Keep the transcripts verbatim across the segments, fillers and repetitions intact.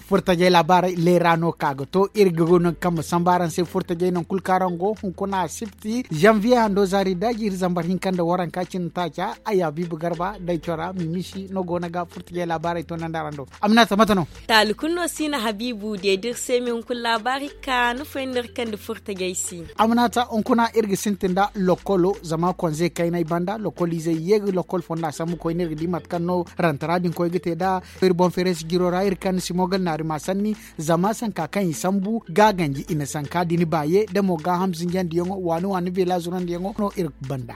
Furtajey laabaarey leera no ka ga to iri ga go no kaŋ ma samba araŋ se furtajey nangu kulu kaŋ araŋ go hunkuna a sipti zanviye hando zaari daaji iri zambar hinka nda waranka cine taaca. Ay habiibu garba day cora mimisi no go no ga furtajey laabaarey to naŋ da araŋ do. Aminata mate no? Taali kulu no si na habiibu deedi iri se me hunkuna laabaari ka ni foy nda iri kande furtajey si. Aminata hunkuna iri ga sintin nda lokolo zama konze kaynay banda lokoliizey ye ga lokol fonda sambu koyne iri ga di mate kaŋ no rantara din koy ga te nd'a. Iri boŋ feeray si jiro ra iri kaŋ ni si mo ga naari ma sanni. Zama sanka kaŋ i sambu ga ganji i na sanka din baaye da mo gaaham zinjandiyaŋo waani waani beela zurandiyaŋo no iri banda.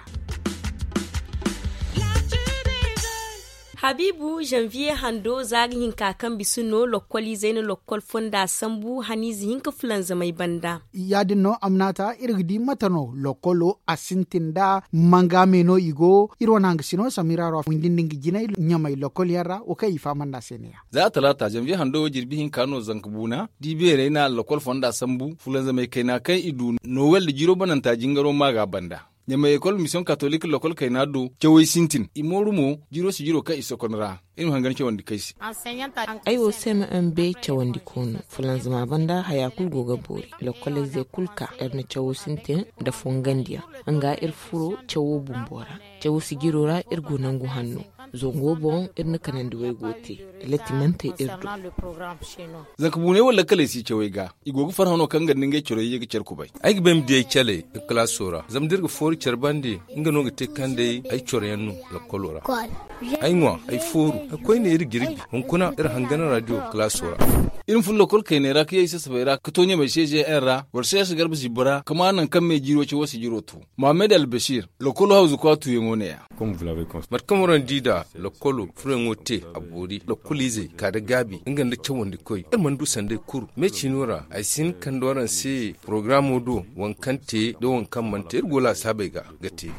Habiibu zanviye hando za ga hinka kaŋ bisa no lokkoliizey na lokkol fonda sambu haniize hinka fulanzamey banda. Ya- din no amnaata iri ga di mate no lokkolo a sintin nda manga me no i go iri wane hangasino samira ra windi nda nga jinay ɲamay lokkol yaŋ ra wo kaŋ i fahamandi a se ne- ya. Za a talaata zanviye hando wo jirbi hinka no zanka buuna da i beerey na lokkol fonda sambu fulanzamey kayna kaŋ i du nowel nda jiiro bananta jingaro ma ga a banda. Ɲamay ekol misiyoŋ katolik lokkol kayna do cawey sintin i mooru mo jiiro si jiiro kaŋ i sokon ra. Iri ma hangan cawandi kay se. Ay wo se ma m b cawandi koono fulanzama banda haya kulu go ga boori lokkoley ze kulu ka iri na cawo sintin nda fongandiyaŋ nga iri furo cawo bumbo ra. Cawo sijiro ra iri go nangu hanno. Zango boŋ iri na kanandi waygo te. Latti mana te iri do. Zanka buuney wala lakkaley si cawey ga i go ga farhano kaŋ ga nda ngey corey ye ga care kubay. Ay ga bay ma di ay caley ga kalaaso ra zama da iri ga foori care bande nga no ga te kaŋ day ay coroyaŋ no lakkolo ra. Ay ŋwa ay fooru ay koyne iri jirbi hunkuna iri hangan radio kalaaso ra. Iri ma fun lokol kayney ra ka ye i sasabey ra ka to ɲamey se ze yaŋ ra boro se ya si garba zibbo ra ka ma nangu kaŋ me jiiro cawo si jiro to. Mohammed albasir lokolo hawzu kwaatuyaŋo ne- ya. Mate kaŋ waraŋ di da lokolo furayaŋo te a boori lokoliizey ka da gaabi nga nda cawandikoy iri mana du sanday kuru me ciino ra ay si hin kande waraŋ se porogaraamo do waŋ kaŋ te nda waŋ kaŋ mana te iri go laasaabey ga ga te.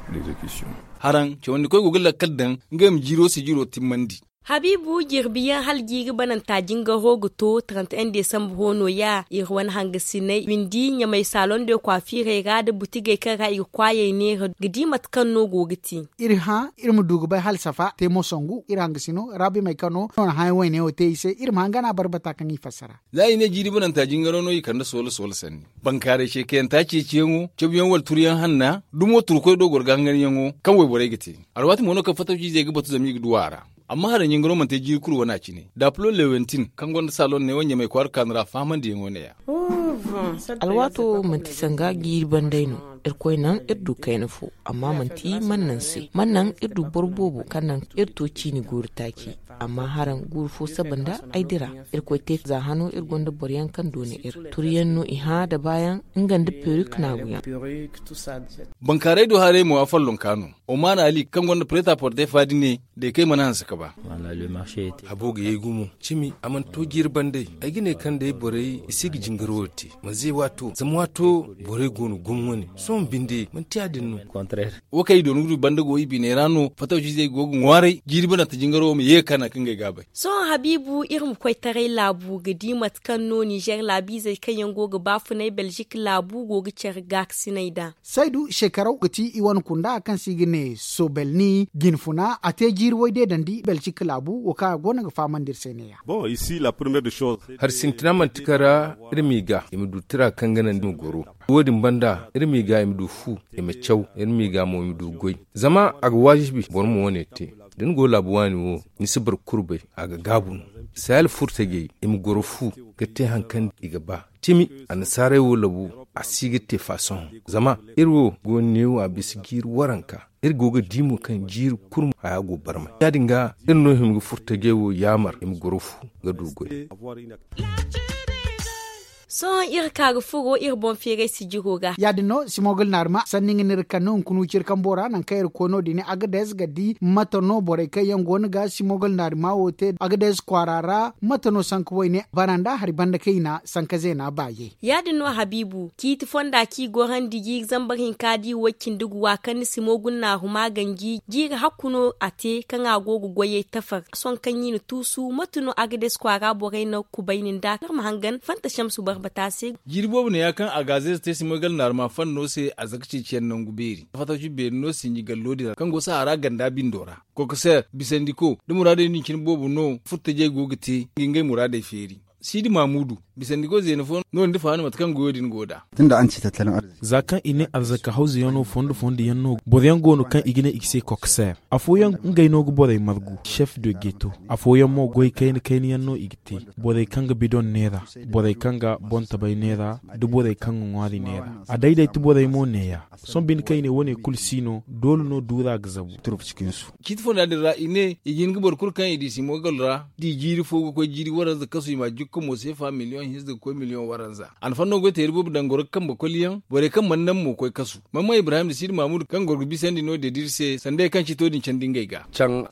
Haraŋ cawandikoy go ga lakkal daŋ ngey ma jiiro sijiro timmandi. Habiibu jirbiyaŋ hala jiiri bananta jingaro ga to trente un desambre wo no- ya iri wane hangasiney windi ɲamay saloŋ de kwaafiirey ra nda butigey kaŋ ra i ga kwaayey neera ga di mate kaŋ no go ga te. Iri hã iri ma du ga bay hala safa te mo sangu iri hangasino raabimey kaŋ no no na hãyaŋ wayne wo te i se iri ma hangana barbata kaŋ i fassara. Za i ne jiiri bananta jingaro no i kande soola soola sanni. Bankaarey ceekayanta ceeciyaŋo cabuyaŋ wala turuyaŋ hanna dumo turkoy do goro ga hanganyaŋo kaŋ wayborey ga te. Alwaati mo no kaŋ fatawciizey ga batu zama i ga du a ra. Amma haraŋ jingaro mana te jiiri kulu wane a cine daapulo lewentin kaŋ gonda saloŋ neewo ɲamay kwaara kaanu ra fahamandiyaŋo ne- ya. Alwaato manti sanga jiiri banday no. Irkoy naŋ iri du kayna fo amma manti man naŋ se man naŋ iri du boro boobo kaŋ naŋ iri to ciini guuru taaci. Amma haraŋ guuru fo saba nda ay dira. Irkoy te za hano iri gonda boroyaŋ kaŋ doona iri turuyaŋ no i hã da baayaŋ nga nda perik naaguyaŋ. Bankaaray do haray mo a follonka no. Omar ali kaŋ gonda preta porte faadi ne da ay kay mana hanse ka ba. Habo ga yay gumo cimi a mana to jiiri banday. Ay ga ne kaŋ day borey i si ga jingaro te manze waato zama waato borey go no gumo wane sohõ binde manti ya- din no. Wo kaŋ i doona ga du banda go i biney ra no fatawciizey go ga ŋwaaray jiiri bananta jingaro ma ye ga ka naŋ kaŋ ga ay gaabay. Sohõ habiibu iri ma koy taray laabu ga di mate kaŋ no ninzeer laabiizey kaŋ yaŋ go ga baafunay belzik laabu go ga care gaakasinay nd'a. Saydu seekaraw ga ti i wane kunda kaŋ se i ga ne sobelni jinfuna a te jiiri way deedandi belcik laabu wo kaŋ a go no ga fahamandi iri se ne- ya. Hari sintina manti kaŋ ra iri m'i ga i ma du tira kaŋ ga naŋ i ma goro. Wo- din banda iri m'i ga i ma du fu i ma caw iri m'i ga mo i ma du goy. Zama a ga waajibi boro ma wo- ne te da ni go laabu waani wo ni si boro kulu bay. A ga gaabu no. Sayal furtajey i ma goro fu ga te hari kaŋ i ga ba. Cimi annasaarey wo labu a si ga te fa sohõ. Zama iri wo go neewo a bisa jiiri waranka. Iri go ga di mo kaŋ jiiri kurmu haya go barmay ya- din ga iri no hima ga furtajey wo yaamar i ma goro fu ga du goy. Sohõ iri ka ga furo iri boŋ feeray sijiro ga. Ya- din no simogal naarima sanni nga no iri kaŋ no hunkuna wuciri kambo ra nangu kaŋ iri koy no- din agades ga di mate no borey kaŋ yaŋ go no ga simogal naarima wo te agades kwaara ra. Mate no sanka wayne bana nda hari banda kayna sanka zeena baaye. Ya- din no habiibu ciiti fonda kaŋ i gorandi jiiri zambar hinka da i way cindi guwa kaŋ ni simo guna naaruma ganji jiiri hakku no a te kaŋ a go ga goyey tafar sohõ kaŋ i na tuusu mate no agades kwaara borey na kubayni nd'a kaŋ ma hangan fanta shamsu barbata se. Jiiri boobo neeya kaŋ agazez te simoy gala naaruma fanno se a zaka ceeciyaŋ nangu beeri fatawci beeri no sinji gallo din ra kaŋ go sahara ganda bindo ra. Kokoseer bisandiko da muraadey din cine boobo no furtajey go ga te ga ngey muraadey feeri. Siidi maamudu, bisandi goy zeena fo no- din da fahaani mate kaŋ goyo din go nd'a. Za kaŋ i ne arzaka hawzuyaŋo fondo fondo yaŋ no boro yaŋ go no kaŋ i ga ne i ga se kokseer, afooyaŋ ngey no ga borey margu, chef de geto. Afooyaŋ mo goy kayna kayna yaŋ no i ga te, borey kaŋ ga bidon neera, borey kaŋ ga boŋ tabay neera, da borey kaŋ ga ŋwaari neera. A dayday ti borey mo neeya. Sohõ binde kaŋ i ne wo- ne kulu si no, doole no duura ga zabu. Ciiti fonda din ra i ne i ga hin ga boro kulu kaŋ i di simogal ra, da i jiiri fo ga koy jiiri waranza kasu i ma a jukka mo seefa miliyoŋ hinza ga koy miliyoŋ waranza. A na fanno goy teeri boobo daŋ goro ga kambe koliyaŋ, borey kaŋ mana naŋ mo koy kasu. Mamman ibrahim da siidi maamudu kaŋ goro ga bisandi no- din da iri se sanda hari kaŋ ciito din candi ngey ga.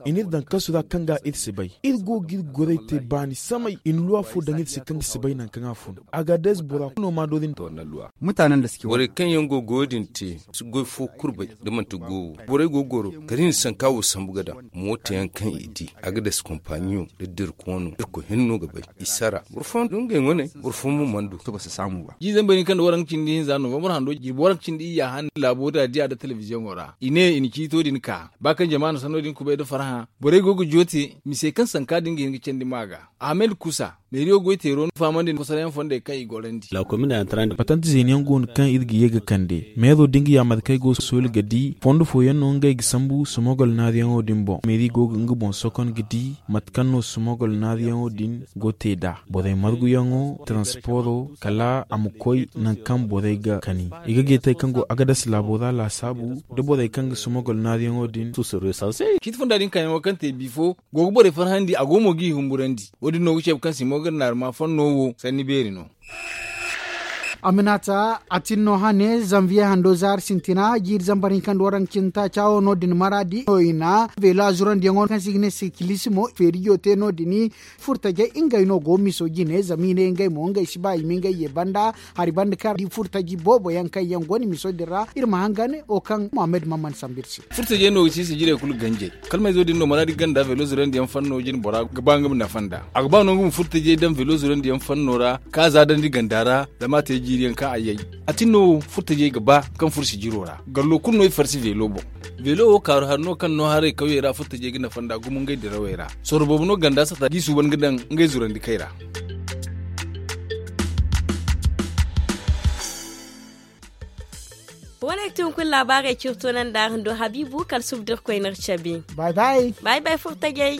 I n'iri daŋ kasu ra kaŋ ga iri si bay. Iri go ga iri gorey te baani samay i na luwa fo daŋ iri se kaŋ ga si bay nangu kaŋ a fun. Agadez bora kulu no ma doori. Borey kaŋ yaŋ go ga goyo din te si goy fo kurbay, da manti goyo borey go ga goro kala i na sanka wo sambu ga daŋ. Mooto yaŋ kaŋ i di, agadez kompaɲiyo da dirkoono irkoy hinne no ga bay. I sara boro fooyaŋ du ngey wane, boro fooyaŋ mo mana du. Jiizey bari kaŋ nda waranka cindi hinza novembre hando jirbi waranka cindi iyya han laabo da diya nda telebiziyoŋo ra i ne i na ciito din ka ba kaŋ jama na sanno din kubay nda farhã. Borey go ga joote mise kaŋ sanka din ga hin ga candi ma ga. Ahmed kusa, meeriyo goy teero no fahamandi nda kosarayaŋ fondey kaŋ i gorandi. Patante zeeni yaŋ go no kaŋ iri ga ye ga kande meero da nga yaamar kaŋ ay go sooli ga di fondo fooyaŋ no ngey ga sambu sumogol naariyaŋo din boŋ meeri go ga nga boŋ sokon ga di mate kaŋ no sumogol naariyaŋo din go te nd'a. Borey marguyaŋo, taransporo kala a ma koy nangu kaŋ borey ga kani. I ga geetey kaŋ go agadas laabo ra laasaabu da borey kaŋ ga sumogol naariyaŋo din. Ciiti fonda din kaayaŋo kaŋ te bifo go ga borey farhandi a go mo g'i humburandi. Wo- din no ga ceebe kaŋ simogal naarima fanno wo sanni beeri no. Aminata a tin no hane zanviye hando zaari sintina jiiri zambar hinka nda waranka cindi taaca wo no- din maraadi no i na veelo a zurandiyaŋo kaŋ se i ga ne sikilisimo feerijo te no- din. Furtajey ngey no go miso jine zama i ne ngey mo ngey si ba i ma ngey ye banda hari banda kaŋ di furtaji boobo yaŋ kaŋ yaŋ go no miso din ra iri ma hangan wo kaŋ mohammed mamman sambu iri se. Furtajey no ga ci sijirey kulu ganjey. Kalmayzo din no maraadi ganda velo zurandiyaŋ fanno jine bora ga ba nga ma nafa nd'a. A ga ba no nga ma furtajey daŋ velo zurandiyaŋ fanno ra ka za dandi ganda ra zama a te jiiriyaŋ kaŋ a yay. A tin no wo furtajey ga ba kaŋ furo sijiro ra gallo kulu no i farsi velo boŋ. Velo wo kaaru hari no kaŋ no haray kawyey ra furtajey ga nafa nd'a gumo ngey dirawey ra. Sorro boobo no ganda sata d'i suuban ga daŋ ngey zurandi kay ra. Wane ga ti hunkuna laabaarey ciri toonandi araŋ do habiibu kala suba da irkoy n'iri cabe. Bay bay. Bay bay furtajey.